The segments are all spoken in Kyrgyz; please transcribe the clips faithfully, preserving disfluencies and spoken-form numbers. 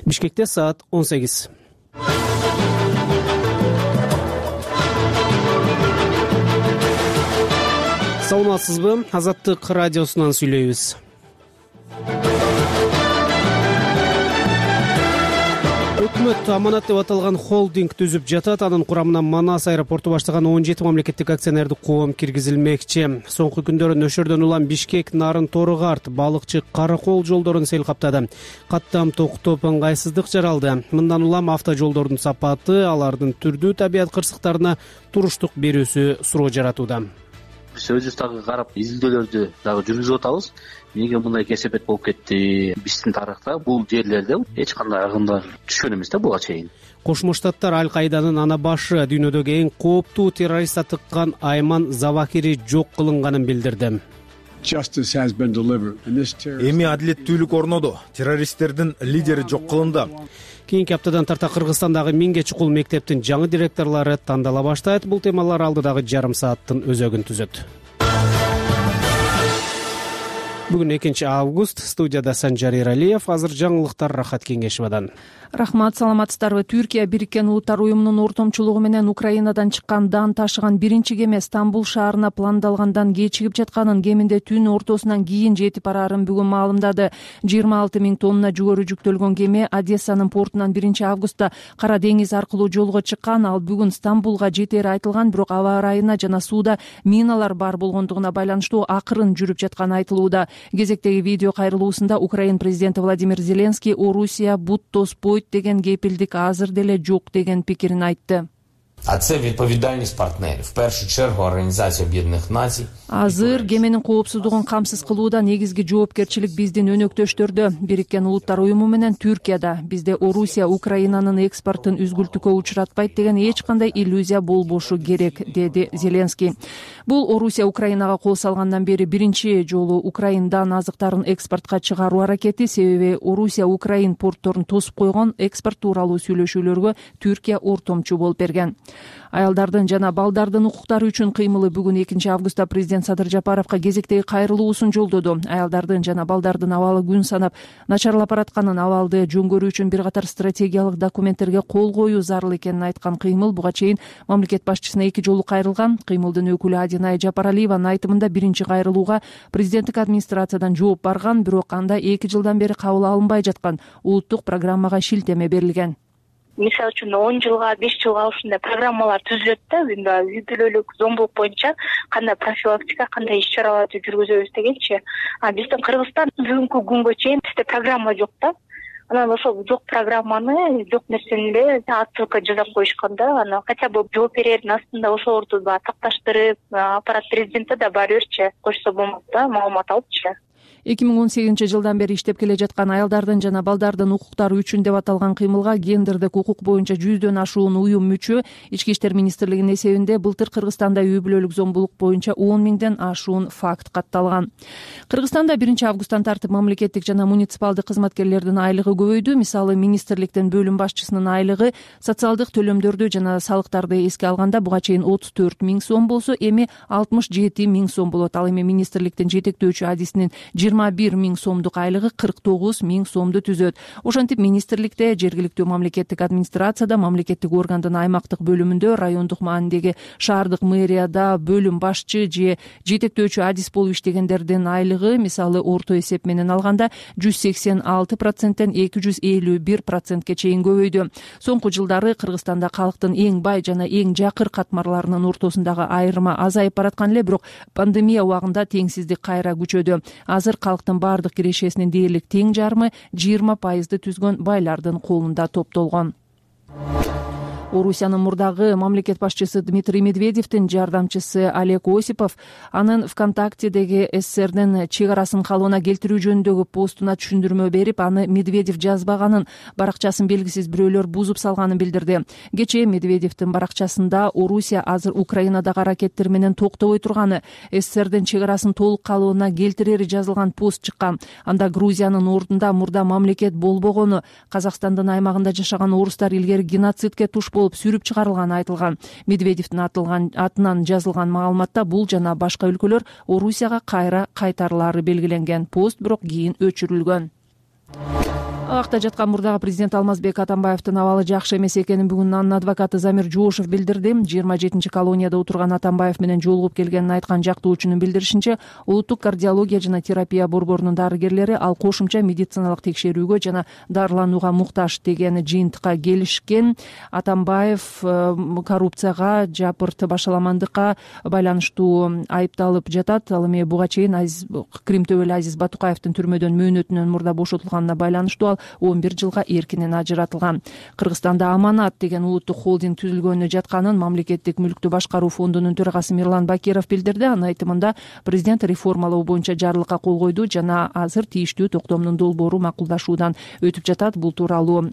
Бишкекте саат он сегиз. Саламатсызбы? Азаттык радиосунан сүйлөйбүз. Өкмөт аманат деп аталган холдинг түзүп жатат. Анын курамына Манас аэропорту баштаган он жети мамлекеттик акционердик коом киргизилмекчи. Соңку күндөрү Нөшөрдөн улам Бишкек, Нарын, Торыгарт, Балыкчы, Каракол жолдорун сел каптады. Каттам токтоп ыңгайсыздык жаралды. Мындан улам автожолдордун сапаты, алардын түрдүү табият кырсыктарына туруштук берүүсү суроо жаратууда. Биз өзүбүз дагы карап изилдөөлөрдү дагы жүргүзүп атабыз. Эмнеге мындай кесепет болуп кетти? Биздин тарыхта бул жерлерде эч кандай агымдар түшкөн эмес да буга чейин. Кошмо Штаттар Аль-Кайданын ана башы, дүйнөдөгү эң кооптуу террорист атыккан Айман Завахири жок кылынганын билдирди. Эми адилеттүүлүк орноду. Террористтердин лидери жок кылынды. Кийинки аптадан тарта Кыргызстандагы миңге чукул мектептин жаңы директорлору тандала баштайт. Бул темалар алдыдагы жарым сааттын өзөгүн түзөт. Бүгүн экинчи август. Студияда Санжар Эралиев. Азыр жаңылыктар Рахат Кеңешевадан. Рахмат, саламатсыздарбы? Түркия Бириккен Улуттар уюмунун ортомчулугу менен Украинадан чыккан дан ташыган биринчи кеме Стамбул шаарына пландалгандан кечигип жатканын, кеминде түн ортосунан кийин жетип бараарын бүгүн маалымдады. жыйырма алты миң тонна жүгөрү жүктөлгөн кеме Одессанын портунан биринчи августта Кара деңиз аркылуу жолго чыккан. Ал бүгүн Стамбулга жетери айтылган, бирок аба ырайына жана сууда миналар бар болгондугуна байланыштуу акырын жүрүп жатканы айтылууда. Кезектеги видео кайрылуусунда Украин президенти Владимир Зеленский Орусия бут тоспойт деген кепилдик азыр деле жок деген пикирин айтты. А це відповідальність партнерів, в першу чергу Організація Об'єднаних Націй. Азыр кеменин коопсуздугун камсыз кылууда негизги жоопкерчилик биздин өнөктөштөрдө. Бириккен Улуттар уюму менен Түркияда. Бизде Орусия Украинанын экспортун үзгүлтүккө учуратпайт деген эч кандай иллюзия болбошу керек, деди Зеленский. Бул Орусия Украинага кол салгандан бери биринчи жолу Украиндан азыктарын экспортко чыгаруу аракети, себеби Орусия Украин портторун тосуп койгон экспорт тууралуу сүйлөшүүлөргө Түркия ортомчу болуп берген. Аялдардын жана балдардын укуктары үчүн кыймылы бүгүн экинчи августта президент Садыр Жапаровго кезектеги кайрылуусун жолдоду. Аялдардын жана балдардын абалы күн санап начарлап баратканын, абалды жөнгөрүү үчүн бир катар стратегиялык документтерге кол коюу зарыл экенин айткан кыймыл буга чейин мамлекет башчысына эки жолу кайрылган. Кыймылдын өкүлү Адинай Жапаралиеванын айтымында биринчи кайрылууга президенттик администрациядан жооп барган, бирок анда эки жылдан бери кабыл алынбай жаткан улуттук программага шилтеме берилген. Мисалы үчүн он жылга, беш жылга ушундай программалар түзүлөт да, үй бүлөлүк зомбулук боюнча кандай профилактика, кандай иш чараларды жүргүзөбүз дегенчи. А биздин Кыргызстан бүгүнкү күнгө чейин бизде программа жок да. Анан ошол жок программаны, жок нерсени эле отсылка жасап коюшкан да. Анан хотя бы жооп берердин астында ошолорду да такташтырып, аппарат президентте да баары бирчи койсо болмок да, маалымат алыпчы. эки миң он сегизинчи жылдан бери иштеп келе жаткан аялдардын жана балдардын укуктары үчүн деп аталган кыймылга гендердик укук боюнча жүздөн ашуун уюм мүчө. Ички иштер министрлигинин эсебинде былтыр Кыргызстанда үй бүлөлүк зомбулук боюнча он миңден ашуун факт катталган. Кыргызстанда биринчи августтан тартып мамлекеттик жана муниципалдык кызматкерлердин айлыгы көбөйдү. Мисалы, министрликтин бөлүм башчысынын айлыгы социалдык төлөмдөрдү жана салыктарды эске алганда буга чейин отуз төрт миң сом болсо, эми алтымыш жети миң сом болот. Ал эми министрликтин жетектөөчү адисинин жыйырма бир миң сомдук айлыгы кырк тогуз миң сомду түзөт. Ошентип министрликте, жергиликтүү мамлекеттик администрацияда, мамлекеттик органдын аймактык бөлүмүндө, райондук маанидеги шаардык мэрияда бөлүм башчы же жетектөөчү адис болуп иштегендердин айлыгы, мисалы, орто эсеп менен алганда жүз сексен алты проценттен эки жүз элүү бир процентке чейин көбөйдү. Соңку жылдары Кыргызстанда калктын эң бай жана эң жакыр катмарларынын ортосундагы айырма азайып бараткан эле, бирок пандемия убагында теңсиздик кайра күчөдү. Азыр калктын баардык кирешесинин дээрлик тең жарымы жыйырма пайызды түзгөн байлардын колунда топтолгон. Орусиянын мурдагы мамлекет башчысы Дмитрий Медведевдин жардамчысы Олег Осипов анын ВКонтактедеги СССРдин чек арасын калыбына келтирүү жөнүндөгү постуна түшүндүрмө берип, аны Медведев жазбаганын, баракчасын белгисиз бирөөлөр бузуп салганын билдирди. Кечээ Медведевдин баракчасында Орусия азыр Украинадагы аракеттер менен токтобой турганы, СССРдин чек арасын толук калыбына келтирери жазылган пост чыккан. Анда Грузиянын ордунда мурда мамлекет болбогону, Казакстандын аймагында жашаган орустар илгери геноцидке туш болуп сүрүп чыгарылганы айтылган. Медведевдин атылган атынан жазылган маалыматта бул жана башка өлкөлөр Орусияга кайра кайтарылары белгиленген. Пост бирок кийин өчүрүлгөн. Абакта жаткан мурдагы президент Алмазбек Атамбаевдин абалы жакшы эмес экенин бүгүн анын адвокаты Замир Жуушев билдирди. жыйырма жетинчи колонияда отурган Атамбаев менен жолугуп келгенин айткан жактоочунун билдиришинче, улуттук кардиология жана терапия борборунун дарыгерлери ал кошумча медициналык текшерүүгө жана дарыланууга муктаж деген жыйынтыкка келишкен. Атамбаев коррупцияга, жапырт башаламандыкка байланыштуу айыпталып жатат. Ал эми буга чейин Крим төбөлү Азиз Батукаевдин түрмөдөн мөөнөтүнөн мурда бошотулганына байланыштуу ал он бир жылга эркинен ажыратылган. Кыргызстанда Аманат деген улуттук холдинг түзүлгөнү жатканын мамлекеттик мүлктү башкаруу фондунун төрагасы Мирлан Бакиров билдирди. Анын айтымында президент реформалоо боюнча жарлыкка кол койду жана азыр тийиштүү токтомдун долбоору макулдашуудан өтүп жатат. Бул тууралуу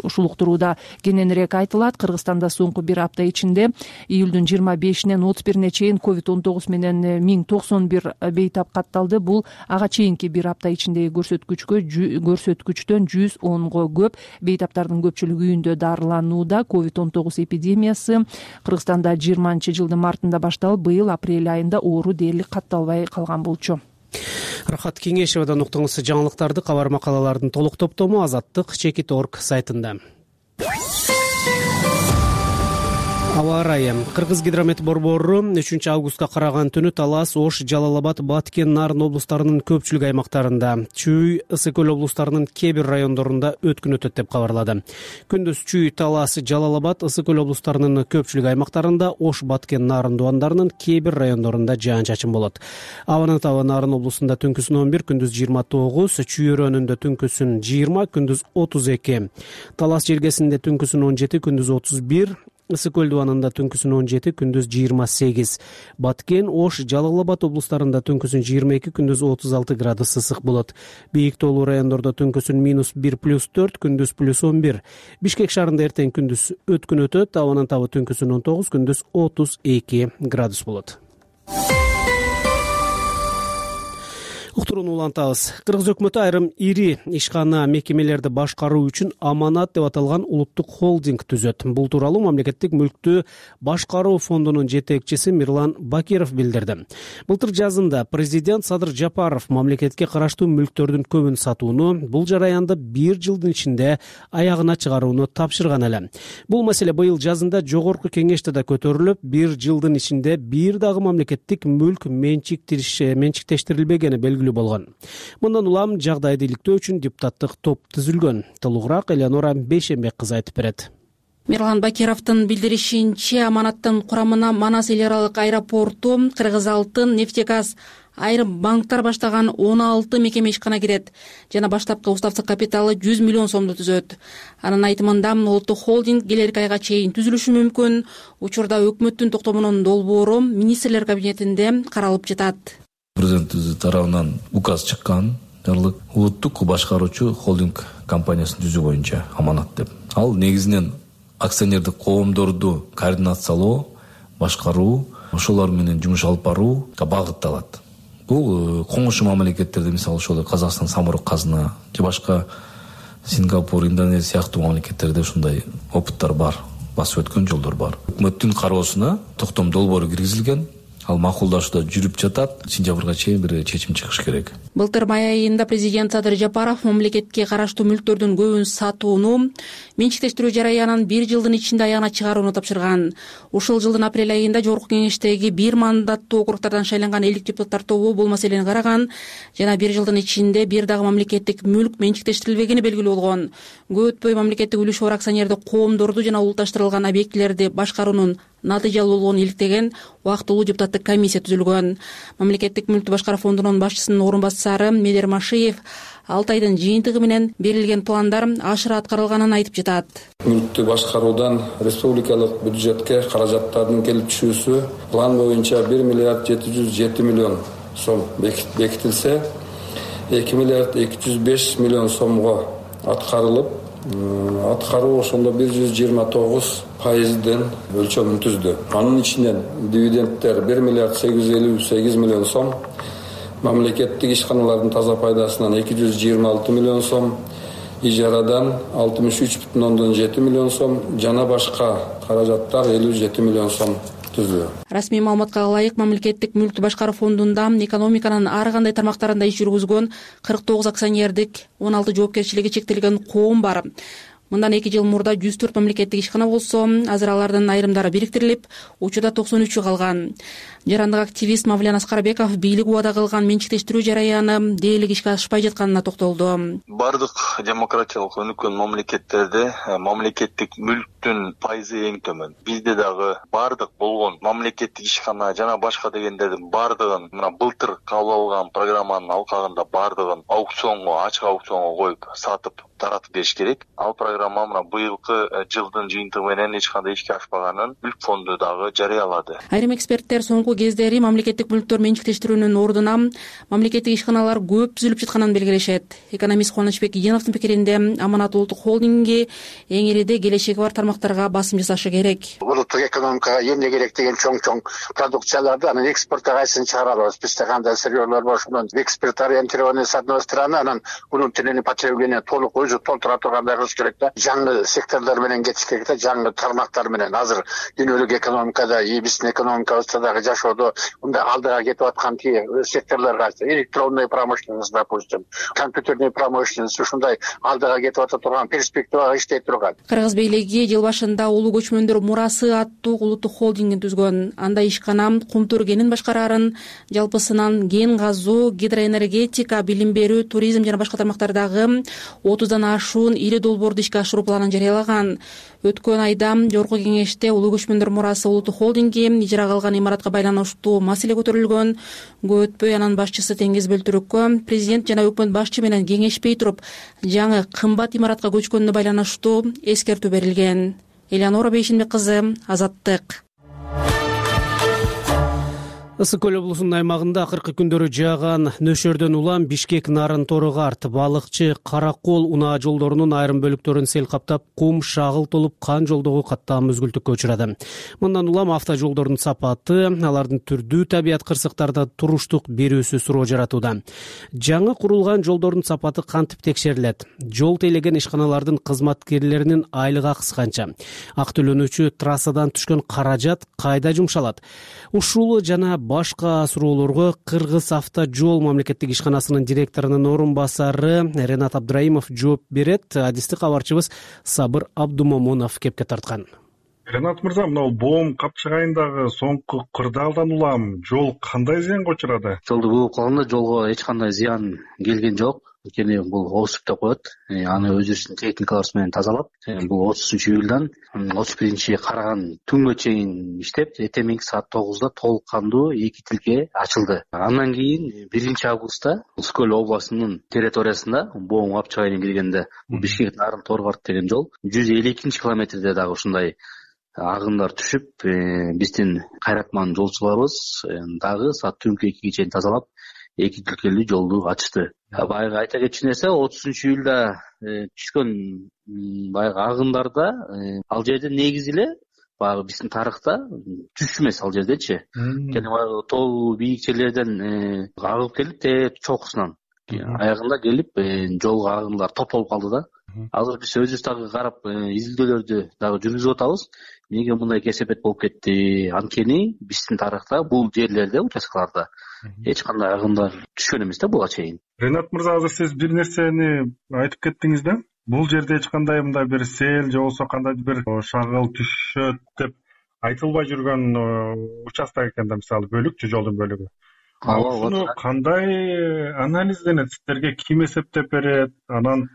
ушул уктурууда кененирээк айтылат. Кыргызстанда соңку бир апта ичинде июлдун жыйырма бешинен отуз бирине чейин ковид он тогуз менен миң токсон бир бейтап катталды. Бул ага чейинки бир апта ичиндеги көрсөткүчкө көрсөткүчтөн жүз онго көп. Бейтаптардын көпчүлүгү үйүндө дарыланууда. ковид он тогуз эпидемиясы Кыргызстанда жыйырманчы жылдын мартында башталып, быйыл апрель айында оору дээрлик катталбай калган болчу. Рахат Кеңешевадан уктуңуз жаңылыктарды. Кабар макалалардын толук топтому азаттык чекит точка орг сайтында. Аба ырайы. Кыргызгидромет борбору үчүнчү августка караган түнү Талас, Ош, Жалал Абад, Баткен, Нарын облустарынын көпчүлүк аймактарында, Чүй, Ысык көл облустарынын кээ бир райондорунда өткүн өтөт деп кабарлады. Күндүз Чүй, Талас, Жалал Абад, Ысык көл облустарынын көпчүлүк аймактарында, Ош, Баткен, Нарын дубандарынын кээ бир райондорунда жаан-чачын болот. Абанын табы Нарын облусунда түнкүсүн он бир, күндүз жыйырма тогуз, Чүй өрөөнүндө түнкүсүн жыйырма, күндүз отуз эки, Талас желгесинде түнкүсүн он жети, күндүз отуз бир, Ысык көл дубанында түнкүсүн он жети, күндүз жыйырма сегиз. Баткен, Ош, Жалал Абад облустарында түнкүсүн жыйырма эки, күндүз отуз алты градус ысык болот. Бийик тоолуу райондордо түнкүсүн минус бир, плюс төрт, күндүз плюс он бир. Бишкек шаарында эртең күндүз өткүн өтөт. Абанын табы түнкүсүн он тогуз, күндүз отуз эки градус болот. Уктурууну улантабыз. Кыргыз өкмөтү айрым ири ишкана мекемелерди башкаруу үчүн Аманат деп аталган улуттук холдинг түзөт. Бул тууралуу мамлекеттик мүлктү башкаруу фондунун жетекчиси Мирлан Бакиров билдирди. Былтыр жазында президент Садыр Жапаров мамлекетке караштуу мүлктөрдүн көбүн сатууну, бул жараянды бир жылдын ичинде аягына чыгарууну тапшырган эле. Бул маселе быйыл жазында жогорку кеңеште да көтөрүлүп, бир жылдын ичинде бир дагы мамлекеттик мүлк менчиктештирилбегени белгилүү болгон. Мындан улам жагдайды иликтөө үчүн депутаттык топ түзүлгөн. Толугураак Элеонора Бейшембек кызы айтып берет. Мирлан Бакировдун билдиришинче, Аманаттын курамына Манас эл аралык аэропорту, Кыргыз алтын, нефтегаз, айрым банктар баштаган он алты мекеме ишкана кирет жана баштапкы уставдык капиталы жүз миллион сомду түзөт. Анын айтымында, улуттук холдинг келерки айга чейин түзүлүшү мүмкүн. Учурда өкмөттүн токтомунун долбоору министрлер кабинетинде каралып жатат. Президент тарабынан указ чыккан, жарлык улуттук башкаруучу холдинг компаниясын түзүү боюнча Аманат деп. Ал негизинен акционердик коомдорду координациялоо, башкаруу, ошолор менен жумуш алып барууга багытталат. Бул коңшу мамлекеттерде, мисалы ошол Казакстан, Самұрық Қазына же башка Сингапур, Индонезия сыяктуу мамлекеттерде ушундай опыттар бар, басып өткөн жолдор бар. Өкмөттүн кароосуна токтом долбоору киргизилген. Ал макулдашууда жүрүп жатат. Сентябрга чейин бир чечим чыгыш керек. Былтыр май айында президент Садыр Жапаров мамлекетке караштуу мүлктөрдүн көбүн сатууну, менчиктештирүү жараянын бир жылдын ичинде аягына чыгарууну тапшырган. Ушул жылдын апрель айында жогорку кеңештеги бир мандаттуу округдардан шайланган элдик депутаттар тобу бул маселени караган жана бир жылдын ичинде бир дагы мамлекеттик мүлк менчиктештирилбегени белгилүү болгон. Көп өтпөй мамлекеттик үлүш бар акционердик коомдорду жана улутташтырылган объектилерди башкаруунун натыйжалуу болгонун иликтеген убактылуу депутаттык комиссия түзүлгөн. Мамлекеттик мүлктү башкаруу фондунун башчысынын орун басары Медер Машиев алты айдын жыйынтыгы менен берилген пландар ашыра аткарылганын айтып жатат. Мүлктү башкаруудан республикалык бюджетке каражаттардын келип түшүүсү план боюнча бир миллиард жети жүз жети миллион сом бекитилсе, эки миллиард эки жүз беш миллион сомго аткарылып, аткаруу ошондо бир жүз жыйырма тогуз пайыздын өлчөмүн түздү. Анын ичинен дивидендтер бир миллиард сегиз жүз элүү сегиз миллион сом, мамлекеттик ишканалардын таза пайдасынан эки жүз жыйырма алты миллион сом, ижарадан алтымыш үч бүтүн ондон жети миллион сом, жана башка каражаттар элүү жети миллион сом түзүү. Расмий маалыматка ылайык мамлекеттик мүлктү башкаруу фондунда экономиканын ар кандай тармактарында иш жүргүзгөн кырк тогуз акционердик он алты жоопкерчилиги чектелген коом бар. Мындан эки жыл мурда жүз төрт мамлекеттик ишкана болсо, азыр алардын айрымдары бириктирилип, учурда токсон үчү калган. Жарандык активист Мавлян Аскарбеков бийлик убада кылган менчиктештирүү жараяны дээрлик ишке ашпай жатканына токтолду. Бардык демократиялык өнүккөн мамлекеттерде мамлекеттик мүлктүн пайызы эң төмөн. Бизде дагы бардык болгон мамлекеттик ишкана жана башка дегендердин бардыгын мына былтыр кабыл алган программанын алкагында бардыгын аукционго, ачык аукционго коюп сатып таратып бериш керек. Ал программа мына быйылкы жылдын жыйынтыгы менен эч кандай ишке ашпаганын Мүлк фонду дагы жарыялады. Айрым эксперттер соңку кездери мамлекеттик мүлктөр менчиктештирүүнүн ордуна мамлекеттик ишканалар көп түзүлүп жатканын белгилешет. Экономист Кубанычбек Иденовдун пикиринде Аманат улуттук холдинги эң ириде келечеги бар тармактарга басым жасашы керек. Улуттук экономикага эмне керек деген чоң-чоң продукцияларды анан экспортко кайсысын чыгара алабыз? Бизде кандай сырьёлор бар, ошондон экспорт ориентированный с одной стороны, анан внутреннее потребление толук өзү толтура тургандай кылыш керек да. Жаңы секторлор менен кетиш керек да, жаңы тармактар менен. Азыр дүйнөлүк экономикада, биздин экономикабызда дагы жашоодо мындай алдыга кетип аткан секторлор кайсы? Электронный промышленность, допустим, компьютерный промышленность ушундай алдыга кетип ата турган перспективага иштей турган. Кыргыз бийлиги жыл башында улуу көчмөндөр мурасы аттуу улуттук холдингин түзгөн. Анда ишкана кумтур кенин башкарарын, жалпысынан кен казуу, гидроэнергетика, билим берүү, туризм жана башка тармактардагы отуздан ашуун ири долбоорду ишке ашыруу планын жарыялаган. Өткөн айда жогорку кеңеште улуу көчмөндөр мурасы улуттук холдинги ижарага алган имаратка байланыштуу маселе көтөрүлгөн. Көп өтпөй анын башчысы Теңиз Бөлтүрөккө президент жана өкмөт башчы менен кеңешпей туруп жаңы кымбат имаратка көчкөнүнө байланыштуу эскертүү берилген. Элеонора Бейшенбек кызы, Азаттык. Ысык көл облусунун аймагында акыркы күндөрү жааган нөшөрдөн улам Бишкек нарын торого арт, балыкчы Каракол унаа жолдорунун айрым бөлүктөрүн сел каптап, кум шагыл толуп, кан жолдогу каттам мүзгүлтүккө учурады. Мындан улам автожолдордун сапаты, алардын түрдүү табият кырсыктарда туруштук берүүсү суроо жаратууда. Жаңы курулган жолдордун сапаты кантип текшерилет? Жол тейлеген ишканалардын кызматкерлеринин айлык акысы канча? Ак төлөнүүчү трассадан түшкөн каражат кайда жумшалат? Ушул жана башка суроолорго Кыргыз автожол мамлекеттик ишканасынын директорунун орун басары Ренат Абдраимов жооп берет. Адисти кабарчыбыз Сабыр Абдумомунов кепке тарткан. Ренат мырза, мына боом капчыгайындагы соңку кырдаалдан улам жол кандай зыянга учурады? Жолду бууп калганда жолго эч кандай зыян келген жок. Анткени бул осуп деп коет. Аны өзүбүздүн техникаларыбыз менен тазалап, бул отузунчу июлдан отуз биринчи караган түнгө чейин иштеп, эртең саат тогузда толук кандуу эки тилке ачылды. Андан кийин биринчи августта Ысык көл областынын территориясында боом капчыгайына киргенде Бишкек нарын торго арт деген жол жүз элүү экинчи километрде дагы ушундай агымдар түшүп, биздин кайратман жолчуларыбыз дагы саат түнкү экиге чейин тазалап, эки тилкелүү жолду ачты. Баягы айта кетчү нерсе, отузунчу июлда түшкөн баягы агымдарда ал жерде негизи эле баягы биздин тарыхта түш эмес ал жердечи. Кene баягы тоо бийик жерлерден агып келип, те чокусунан аягында келип, жолго агымдар топтолуп калды да. Азыр биз өзүбүз дагы карап изилдөөлөрдү дагы жүргүзүп атабыз. Эмнеге мындай кесепет болуп кетти? Анткени биздин тарыхта бул жерлерде, участкаларда эч кандай агымдар түшкөн эмес да буга чейин. Ренат мырза, азыр сиз бир нерсени айтып кеттиңиз да. Бул жерде эч кандай мындай бир сел же болбосо кандайдыр бир шагыл түшөт деп айтылбай жүргөн участок экен да, мисалы бөлүкчү жолдун бөлүгү. Ушуну кандай анализденет? Сиздерге ким эсептеп берет? Анан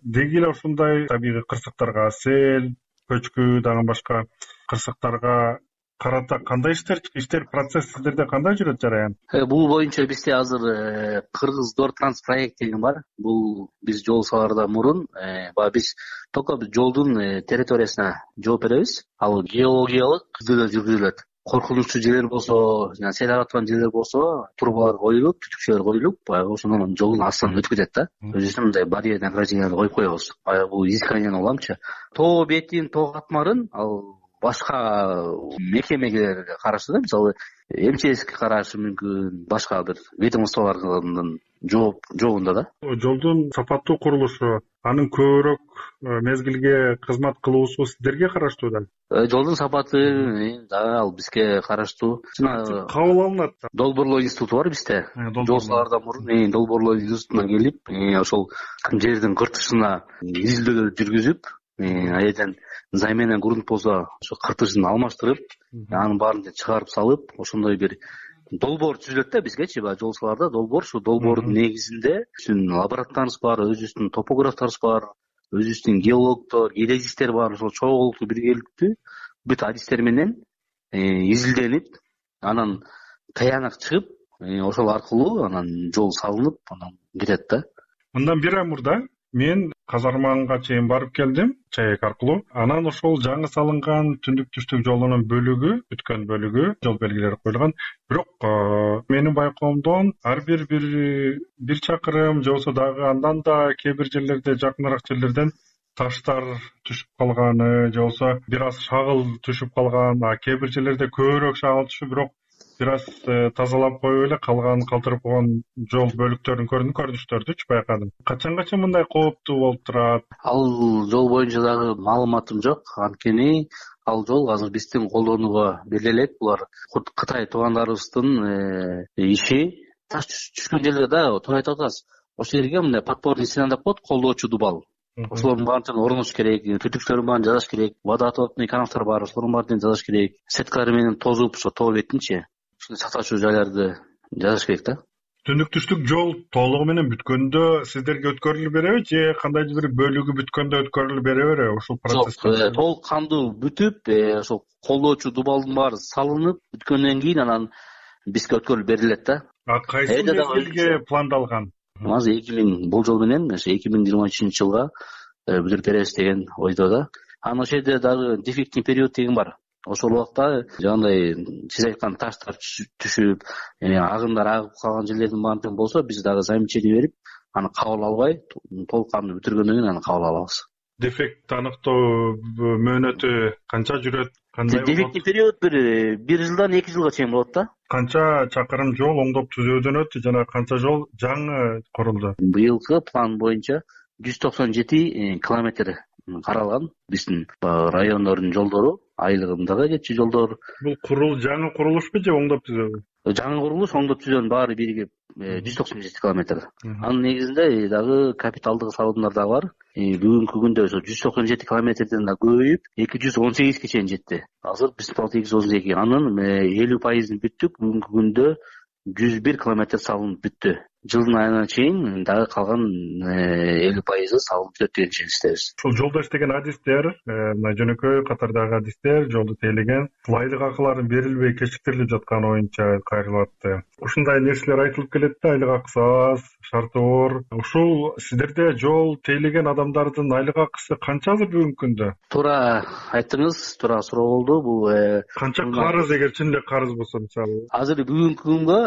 деги эле ушундай табигый кырсыктарга, сел, көчкү дагы башка кырсыктарга карата кандай иштер иштер процесс сиздерде кандай жүрөт жараян? Бул боюнча бизде азыр Кыргыз Дор Транс проект деген бар. Бул биз жол салаардан мурун баягы биз только жолдун территориясына жооп беребиз. Ал геологиялык изилдөөлөр жүргүзүлөт. Коркунучтуу жерлер болсо, жана сел ага турган жерлер болсо, трубалар коюлуп, түтүкчөлөр коюлуп, баягы ошондон жолдун астынан өтүп кетет да. Өзүбүздүн мындай барьерный огражденияларды коюп коебуз. Баягы бул изисканияны уламчы. Тоо бетин, тоо катмарын ал башка мекемелерге караштуу да, мисалы эм че эске карашы мүмкүн, башка бир ведомстволордун жооп жообунда да. Жолдун сапаттуу курулушу, анын көбүрөөк мезгилге кызмат кылуусу сиздерге караштуу да? Жолдун сапаты дагы ал бизге караштуу. Жана кабыл алынат. Долбоорлоо институту бар бизде. Жол салаардан мурун долбоорлоо институтуна келип, ошол жердин кыртышына изилдөөлөр жүргүзүп, ал жерден зай менен грунт болсо ошо кыртышын алмаштырып, анын баарын чыгарып салып, ошондой бир долбоор түзүлөт да бизгечи. Баягы жол салаарда долбоор, ушул долбоордун негизинде биздин лаборанттарыбыз бар, өзүбүздүн топографтарыбыз бар, өзүбүздүн геологдор, геодезисттер бар. Ошол чогулуктуу биргеликтүү бүт адистер менен изилденип, анан таянак чыгып, ошол аркылуу анан жол салынып, анан кетет да. Мындан бир ай мурда мен Казарманга чейин барып келдим, чаек аркылуу. Анан ошол жаңы салынган түндүк-түштүк жолунун бөлүгү, бүткөн бөлүгү, жол белгилери коюлган. Бирок менин байкоомдон ар бир бир бир чакырым же болбосо дагы андан да кээ бир жерлерде, жакыныраак жерлерден таштар түшүп калганы, же болбосо бир аз шагыл түшүп калган, а кээ бир жерлерде көбүрөөк шагыл түшүп, бирок бир аз тазалап коюп эле калганын калтырып койгон жол бөлүктөрүн көрдүм, көрүнүштөрдүчү байкадым. Качангаcha мындай кооптуу болуп турат? Ал жол боюнча дагы маалыматым жок, анткени ал жол азыр биздин колдонууга бериле элек. Булар Кытай туугандарыбыздын иши. Таш түшкөн жерлерде да туура айтып атасыз. Ошол жерге мындай подпорный стена деп коет, колдоочу дубал. Ошолордун баарын орнотуш керек, түтүктөрүн баарын жазаш керек, водоотводный канавтар бар, ошолордун баарын жазаш керек. Сеткалар менен тозуп, ошо тоо бетинчи ушундай сакташуу жайларды жазыш керек да. Түндүк-түштүк жол толугу менен бүткөндө сиздерге өткөрүлүп береби же кандайдыр бир бөлүгү бүткөндө өткөрүлүп бере береби ошол процесс? Жок, толук кандуу бүтүп, ошол колдоочу дубалдын баары салынып бүткөндөн кийин анан бизге өткөрүлүп берилет да. А кайсы мезгилге пландалган? Азыр эки миң болжол менен эки миң жыйырма үчүнчү жылга бүтүрүп беребиз деген ойдо да. Анан ошол жерде дагы дефектный период деген бар. Ошол убакта жагындай сиз айткан таштар түшүп, агымдар агып калган жерлердин баарын болсо, биз дагы замечание берип, аны кабыл албай, толук кандуу бүтүргөндөн кийин аны кабыл алабыз. Дефект аныктоо мөөнөтү канча жүрөт? Кандай? Дефектный период бир бир жылдан эки жылга чейин болот да. Канча чакырым жол оңдоп түзөөдөн өттү жана канча жол жаңы курулду? Быйылкы план боюнча жүз токсон жети километр каралган биздин райондордун жолдору, айлыгындагы кетчү жолдор. Бул курул жаңы курулушпу же оңдоп түзөөбү? Жаңы курулуш, оңдоп түзөөнүн баары биригип жүз токсон жети километр. Анын негизинде дагы капиталдык салымдар дагы бар. Бүгүнкү күндө ошо жүз токсон жети километрден да көбөйүп эки жүз он сегизге чейин жетти. Азыр биз эки жүз он эки. Анын элүү пайызын бүттүк. Бүгүнкү күндө жүз бир километр салынып бүттү. Жылдын айына чейин дагы калган элүү пайызы салынып бүтөт деген ченстебиз. Ушул жолдо иштеген адистер, мына жөнөкөй катардагы адистер жолду тейлеген, айлык акыларын берилбей кечиктирилип жатканы боюнча кайрылып атты. Ушундай нерселер айтылып келет да, айлык акысы аз, шарты оор. Ушул сиздерде жол тейлеген адамдардын айлык акысы канча азыр бүгүнкү күндө? Туура айттыңыз, туура суроо болду. Бул канча карыз, эгер чын эле карыз болсо мисалы? Азыр бүгүнкү күнгө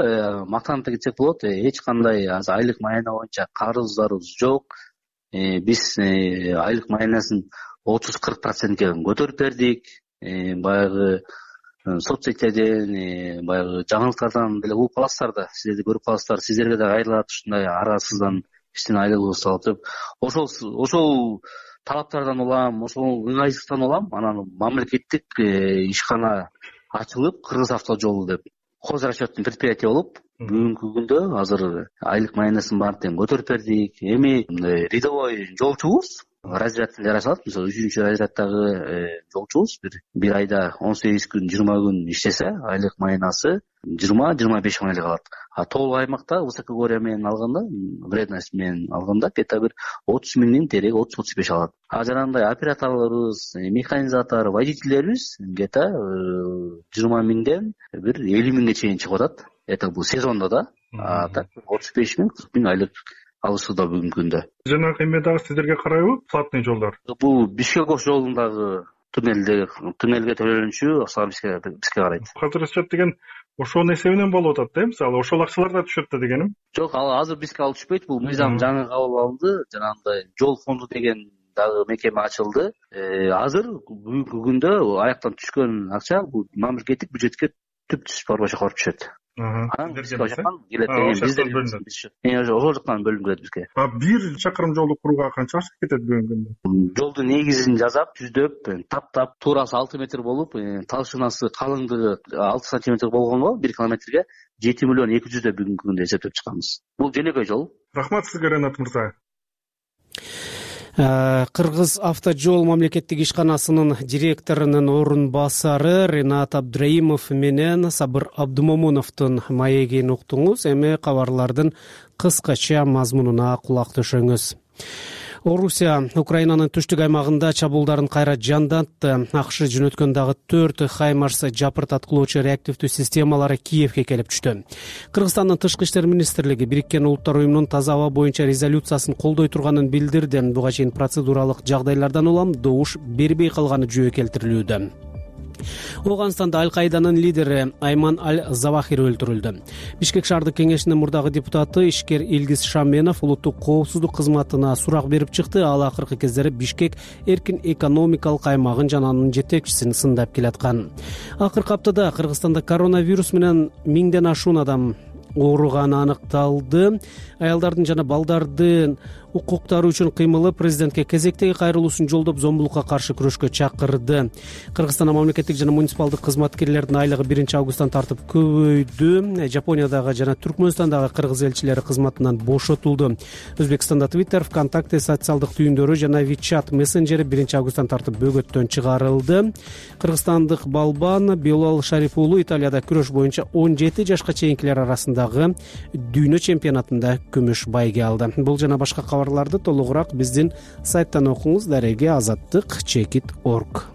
мактанып кетсек болот, эч кандай азыр айлык майына боюнча карыздарыбыз жок. Биз айлык майнасын отуз кырк процентке көтөрүп бердик. Баягы соцсеттерден, баягы жаңылыктардан деле угуп каласыздар да, сиздер да көрүп каласыздар. Сиздерге да кайрылат ушундай арасыздан биздин айлыгыбыз салып. Ошол ошол талаптардан улам, ошол ыңгайсыздыктан улам, анан мамлекеттик ишкана ачылып, Кыргыз автожол деп хозрасчетный предприятие болуп, бүгүнкү күндө азыр айлык майнасын баарын көтөрүп бердик. Эми рядовой жолчубуз разрядын жарашат, мисалы үчүнчү разряддагы жолчубуз бир бир айда он сегиз күн, жыйырма күн иштесе, айлык майнасы жыйырма жыйырма беш миң айлык алат. А толук аймакта высокогорье менен алганда, вредность менен алганда где-то бир отуз миңдин тереги отуз отуз беш алат. А жанагындай операторлорубуз, механизатор, водительдерибиз где-то жыйырма миңден бир элүү миңге чейин чыгып атат. Это бул сезондо да. А так отуз беш миң, кырк миң айлык алышууда бүгүнкү күндө. Жанагы эме дагы сиздерге карайбы? Платный жолдор. Бул Бишкек-Ош жолундагы туннелде туннелге төлөнүшү ошо бизге бизге карайт. Хозрасчет деген ошонун эсебинен болуп атат да, мисалы ошол акчалар да түшөт да дегеним. Жок, ал азыр бизге ал түшпөйт. Бул мыйзам жаңы кабыл алынды. Жанагындай жол фонду деген дагы мекеме ачылды. Азыр бүгүнкү күндө аяктан түшкөн акча бул мамлекеттик бюджетке түп түз барбача коруп түшөт. анан бизге жаккан келет деген бизде ошол жактан бөлүнүп келет бизге. А бир чакырым жолду курууга канча акча кетет бүгүнкү күндө? Жолдун негизин жасап жүздөп таптап туурасы алты метр болуп, талшынасы калыңдыгы алты сантиметр болгонго бир километрге жети миллион эки жүз деп бүгүнкү күндө эсептеп чыкканбыз. Бул жөнөкөй жол. Рахмат сизге, Ренат мырза. Кыргыз автожол мамлекеттик ишканасынын директорунун орун басары Ренат Абдраимов менен Сабыр Абдумомуновдун маегин уктуңуз. Эми кабарлардын кыскача мазмунуна кулак төшөңүз. Орусия Украинанын түштүк аймагында чабуулдарын кайра жандантты. АКШ жөнөткөн дагы төрт Хаймарс жапырт аткылоочу реактивдүү системалары Киевге келип түштү. Кыргызстандын тышкы иштер министрлиги Бириккен Улуттар уюмунун таза аба боюнча резолюциясын колдой турганын билдирди. Буга чейин процедуралык жагдайлардан улам добуш бербей калганы жөө келтирилүүдө. Ооганстанда Аль-Каиданын лидери Айман Аль-Завахири өлтүрүлдү. Бишкек шаардык кеңешинин мурдагы депутаты ишкер Илгиз Шаменов улуттук коопсуздук кызматына сурак берип чыкты. Ал акыркы кездери Бишкек эркин экономикалык аймагын жана анын жетекчисин сындап келаткан. Акыркы аптада Кыргызстанда коронавирус менен миңден ашуун адам ооруганы аныкталды. Аялдардын жана балдардын укуктары үчүн кыймылы президентке кезектеги кайрылуусун жолдоп зомбулукка каршы күрөшкө чакырды. Кыргызстанда мамлекеттик жана муниципалдык кызматкерлердин айлыгы биринчи августтан тартып көбөйдү. Жапониядагы жана Түркмөнстандагы кыргыз элчилери кызматынан бошотулду. Өзбекстанда Twitter, ВКонтакте социалдык түйүндөрү жана WeChat мессенджери биринчи августтан тартып бөгөттөн чыгарылды. Кыргызстандык балбан Белал Шариф уулу Италияда күрөш боюнча он жети жашка чейинкилер арасындагы дүйнө чемпионатында күмүш байге алды. Бул жана башка кабарларды толугураак биздин сайттан окуңуз. Дареги азаттык чекит точка орг.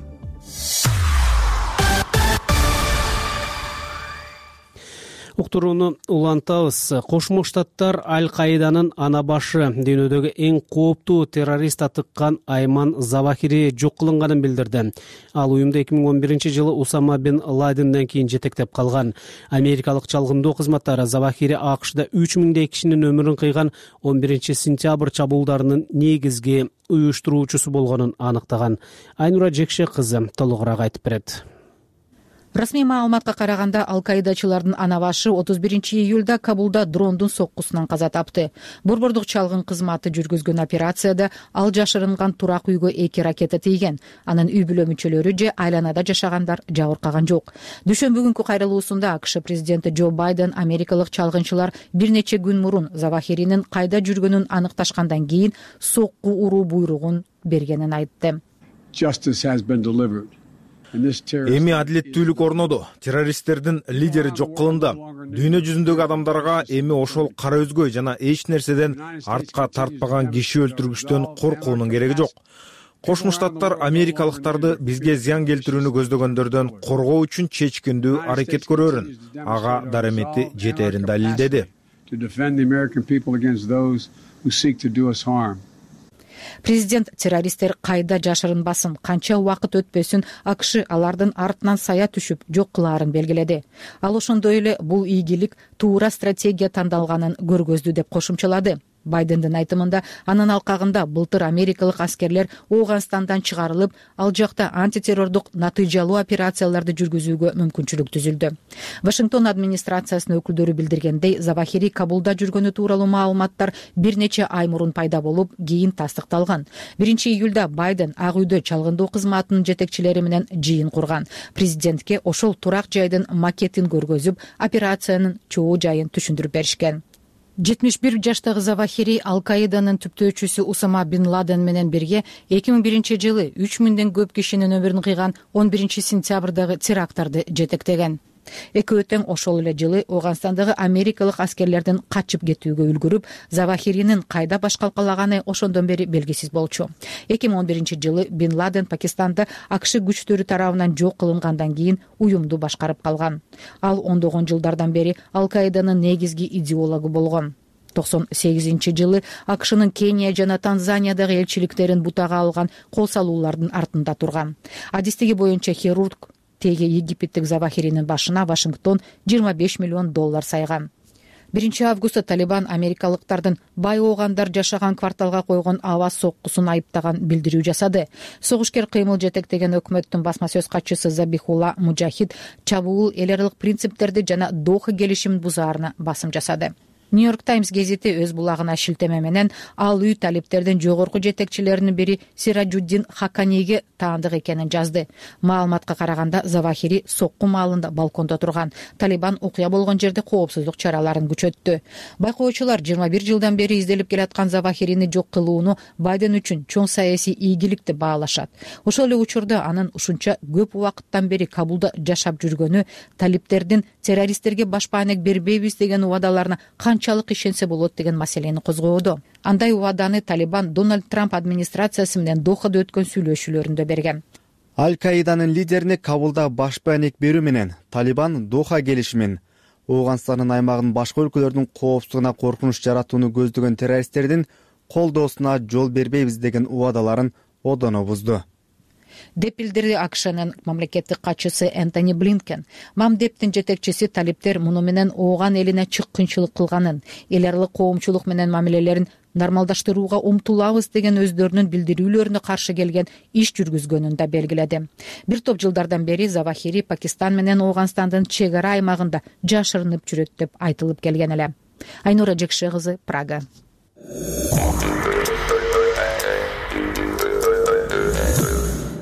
Уктурууну улантабыз. Кошмо Штаттар Аль-Каиданын ана башы дүйнөдөгү эң кооптуу террорист атыккан Айман Завахири жок кылынганын билдирди. Ал уюмду эки миң он биринчи жылы Усама бин Ладенден кийин жетектеп калган. Америкалык чалгындоо кызматтары Завахири АКШда үч миңдей кишинин өмүрүн кыйган он биринчи сентябрь чабуулдарынын негизги уюштуруучусу болгонун аныктаган. Айнура Жекше кызы толугураак айтып берет. Расмий маалыматка караганда Аль-Каидачылардын ана башы отуз биринчи июлда Кабулда дрондун соккусунан каза тапты. Борбордук чалгын кызматы жүргүзгөн операцияда ал жашырынган турак үйгө эки ракета тийген. Анын үй бүлө мүчөлөрү же айланада жашагандар жабыркаган жок. Дүйшөмбү күнкү кайрылуусунда АКШ президенти Джо Байден америкалык чалгынчылар бир нече күн мурун Завахиринин кайда жүргөнүн аныкташкандан кийин сокку уруу буйругун бергенин айтты. Эми адилеттүүлүк орноду. Террористтердин лидери жок кылынды. Дүйнө жүзүндөгү адамдарга эми ошол кара өзгөй жана эч нерседен артка тартпаган киши өлтүргүчтөн коркуунун кереги жок. Кошмо Штаттар америкалыктарды бизге зыян келтирүүнү көздөгөндөрдөн коргоо үчүн чечкиндүү аракет көрөрүн. Ага дарамети жетерин далилдеди. Президент террористтер кайда жашырынбасын, канча убакыт өтпөсүн АКШ алардын артынан сая түшүп жок кылаарын белгиледи. Ал ошондой эле бул ийгилик туура стратегия тандалганын көргөздү деп кошумчалады. Байдендин айтымында анын алкагында былтыр америкалык аскерлер Ооганстандан чыгарылып, ал жакта антитеррордук натыйжалуу операцияларды жүргүзүүгө мүмкүнчүлүк түзүлдү. Вашингтон администрациясынын өкүлдөрү билдиргендей, Завахири Кабулда жүргөнү тууралуу маалыматтар бир нече ай мурун пайда болуп, кийин тастыкталган. биринчи июлда Байден Ак үйдө чалгындоо кызматынын жетекчилери менен жыйын курган. Президентке ошол турак жайдын макетин көргөзүп, операциянын чоо жайын түшүндүрүп беришкен. жетимиш бир жаштагы Завахири Аль-Каиданын түптөөчүсү Усама бин Ладен менен бирге эки миң биринчи жылы үч миңден көп кишинин өмүрүн кыйган он биринчи сентябрдагы теракттарды жетектеген. Экөө тең ошол эле жылы Ооганстандагы америкалык аскерлердин качып кетүүгө үлгүрүп, Завахиринин кайда баш калкалаганы ошондон бери белгисиз болчу. эки миң он биринчи жылы Бин Ладен Пакистанда АКШ күчтөрү тарабынан жок кылынгандан кийин уюмду башкарып калган. Ал ондогон жылдардан бери Аль-Каиданын негизги идеологу болгон. токсон сегизинчи жылы АКШнын Кения жана Танзаниядагы элчиликтерин бутага алган кол салуулардын артында турган. Адистиги боюнча хирург теги египеттик Завахиринин башына Вашингтон жыйырма беш миллион доллар сайган. биринчи августта Талибан америкалыктардын бай оогандар жашаган кварталга койгон аба соккусун айыптаган билдирүү жасады. Согушкер кыймыл жетектеген өкмөттүн басма сөз катчысы Забихулла Мужахид чабуул эл аралык принциптерди жана Доха келишимин бузаарына басым жасады. Нью-Йорк Таймс гезити өз булагына шилтеме менен ал үй талиптердин жогорку жетекчилеринин бири Сираджуддин Хаканийге таандык экенин жазды. Маалыматка караганда Завахири сокку маалында балкондо турган. Талибан окуя болгон жерде коопсуздук чараларын күчөттү. Байкоочулар жыйырма бир жылдан бери изделип келаткан Завахирини жок кылууну Байден үчүн чоң саясий ийгилик деп баалашат. Ошол эле учурда анын ушунча көп убакыттан бери Кабулда жашап жүргөнү талиптердин террористтерге башпаанек бербейбиз деген убадаларына канчалык ишенсе болот деген маселени козгоодо. Андай убаданы Талибан Дональд Трамп администрациясы менен Дохада өткөн сүйлөшүүлөрүндө берген. Аль-Каиданын лидерине Кабулда башпаанек берүү менен Талибан Доха келишимин, Ооганстандын аймагын башка өлкөлөрдүн коопсуздугуна коркунуч жаратууну көздөгөн террористтердин колдоосуна жол бербейбиз деген убадаларын одоно бузду деп билдирди АКШнын мамлекеттик катчысы Энтони Блинкен. Мамдептин жетекчиси талиптер муну менен ооган элине чык кыйынчылык кылганын, эл аралык коомчулук менен мамилелерин нормалдаштырууга умтулабыз деген өздөрүнүн билдирүүлөрүнө каршы келген иш жүргүзгөнүн да белгиледи. Бир топ жылдардан бери Завахири Пакистан менен Ооганстандын чек ара аймагында жашырынып жүрөт деп айтылып келген эле. Айнура Жекше кызы, Прага.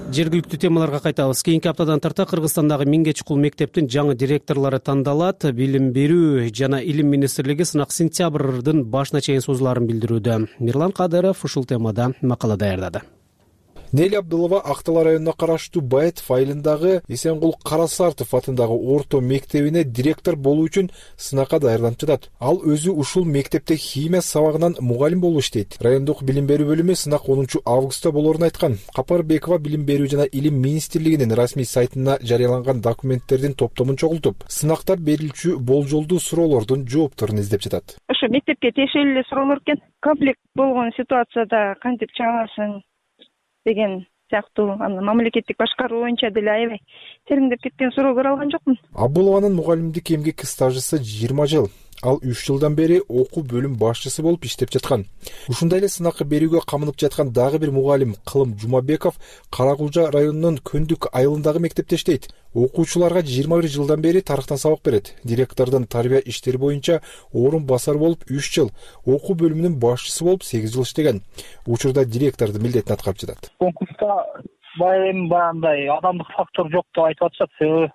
Жергиликтүү темаларга кайтабыз. Кийинки аптадан тарта Кыргызстандагы миңге чукул мектептин жаңы директорлору тандалат. Билим берүү жана илим министрлиги сынак сентябрдын башына чейин созулаарын билдирүүдө. Мирлан Кадыров ушул темада макала даярдады. Нели Абдулова Актала районуна караштуу Баетов айылындагы Эсенгул Карасартов атындагы орто мектебине директор болуу үчүн сынакка даярданып жатат. Ал өзү ушул мектепте химия сабагынан мугалим болуп иштейт. Райондук билим берүү бөлүмү сынак онунчу августта болоорун айткан. Капарбекова билим берүү жана илим министрлигинин расмий сайтына жарыяланган документтердин топтомун чогултуп, сынакта берилчү болжолдуу суроолордун жоопторун издеп жатат. Ошо мектепке тиешелүү эле суроолор экен. Комплект болгон ситуацияда кантип чыгасың деген сыяктуу аны мамлекеттик башкаруу боюнча деле аябай тереңдеп кеткен суроолор алган жокмун. Абулованын мугалимдик эмгек стажысы жыйырма жыл. Ал үч жылдан бери окуу бөлүм башчысы болуп иштеп жаткан. Ушундай эле сынакка берүүгө камынып жаткан дагы бир мугалим Кылым Жумабеков Каракулжа районунун Көндүк айылындагы мектепте иштейт. Окуучуларга жыйырма бир жылдан бери тарыхтан сабак берет. Директордун тарбия иштери боюнча орун басар болуп үч жыл, окуу бөлүмүнүн башчысы болуп сегиз жыл иштеген. Учурда директордун милдетин аткарып жатат. Конкурска байым баандай адамдык фактор жок деп айтып атышат. Себеби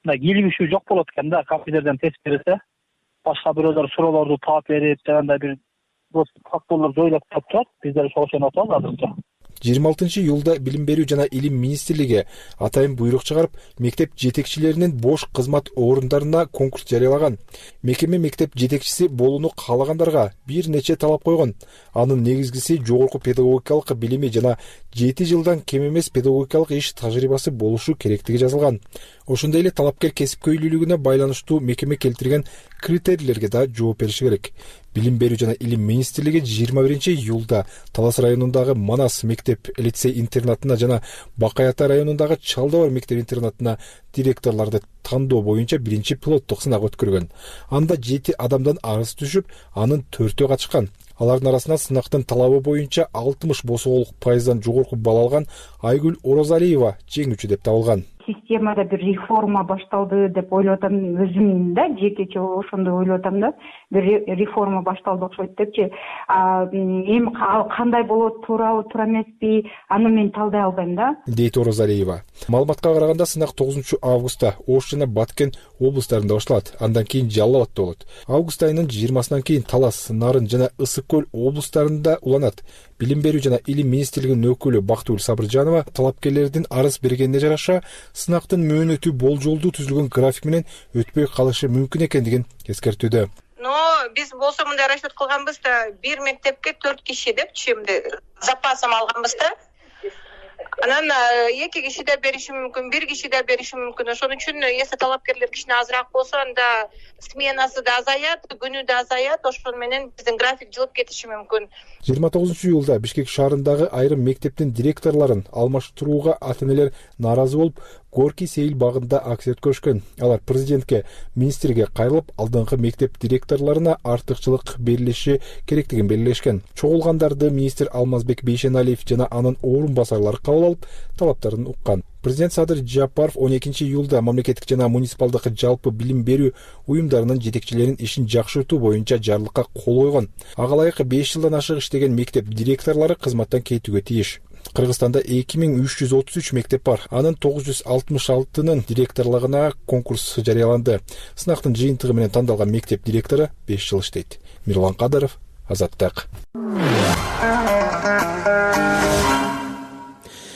мындай кийлигишүү жок болот экен да, компьютерден тест берсе. Башка бирөөлөр суроолорду таап берип, дегендей бир факторлор жоюлуп калып турат. Биздер ошол ошону атабыз азырынча. жыйырма алтынчы июлда билим берүү жана илим министрлиги атайын буйрук чыгарып, мектеп жетекчилеринин бош кызмат орундарына конкурс жарыялаган. Мекеме мектеп жетекчиси болууну каалагандарга бир нече талап койгон. Анын негизгиси жогорку педагогикалык билими жана жети жылдан кем эмес педагогикалык иш тажрыйбасы болушу керектиги жазылган. Ошондой эле талапкер кесипкөйлүүлүгүнө байланыштуу мекеме келтирген критерийлерге да жооп бериши керек. Билим берүү жана илим министрлиги жыйырма биринчи июлда Талас районундагы Манас мектеп лицей интернатына жана Бакай Ата районундагы Чалдабар мектеп интернатына директорлорду тандоо боюнча биринчи пилоттук сынак өткөргөн. Анда жети адамдан арыз түшүп, анын төртөө катышкан. Алардын арасында сынактын талабы боюнча алтымыш босоолук пайыздан жогорку балл алган Айгүл Орозалиева жеңүүчү деп табылган. Системада бир реформа башталды деп ойлоп атам, өзүм да жекече ошондой ойлоп атам да, бир реформа башталды окшойт депчи. Эми кандай болот, туурабы, туура эмеспи, аны мен талдай албайм да. Дейт Орозалиева. Маалыматка караганда сынак тогузунчу августта Ош жана Баткен облустарында башталат, андан кийин Жалал Абадта болот. Август айынын жыйырмасынан кийин Талас, Нарын жана Ысык көл облустарында уланат. Билим берүү жана илим министрлигинин өкүлү Бактыгүл Сабыржанова талапкерлердин арыз бергенине жараша сынактын мөөнөтү болжолдуу түзүлгөн график менен өтпөй калышы мүмкүн экендигин эскертүүдө. Но биз болсо мындай расчет кылганбыз да, бир мектепке төрт киши депчи, запасым алганбыз да. Анан эки киши да бериши мүмкүн, бир киши да бериши мүмкүн. Ошон үчүн если талапкерлер кичине азыраак болсо, анда сменасы да азаят, күнү да азаят, ошон менен биздин график жылып кетиши мүмкүн. жыйырма тогузунчу июлда Бишкек шаарындагы айрым мектептин директорлорун алмаштырууга ата-энелер нааразы болуп, Горький Сейил багында акция өткөрүшкөн. Алар президентке, министрге кайрылып, алдыңкы мектеп директорлоруна артыкчылык берилиши керектигин белгилешкен. Чогулгандарды министр Алмазбек Бейшеналиев жана анын орун басарлары кабыл алып, талаптарын уккан. Президент Садыр Жапаров он экинчи июлда мамлекеттик жана муниципалдык жалпы билим берүү уюмдарынын жетекчилеринин ишин жакшыртуу боюнча жарлыкка кол койгон. Ага ылайык беш жылдан ашык иштеген мектеп директорлору кызматтан кетүүгө тийиш. Кыргызстанда эки миң үч жүз отуз үч мектеп бар. Анын тогуз жүз алтымыш алтынын директорлугуна конкурс жарыяланды. Сынактын жыйынтыгы менен тандалган мектеп директору беш жыл иштейт. Мирлан Кадыров, Азаттык.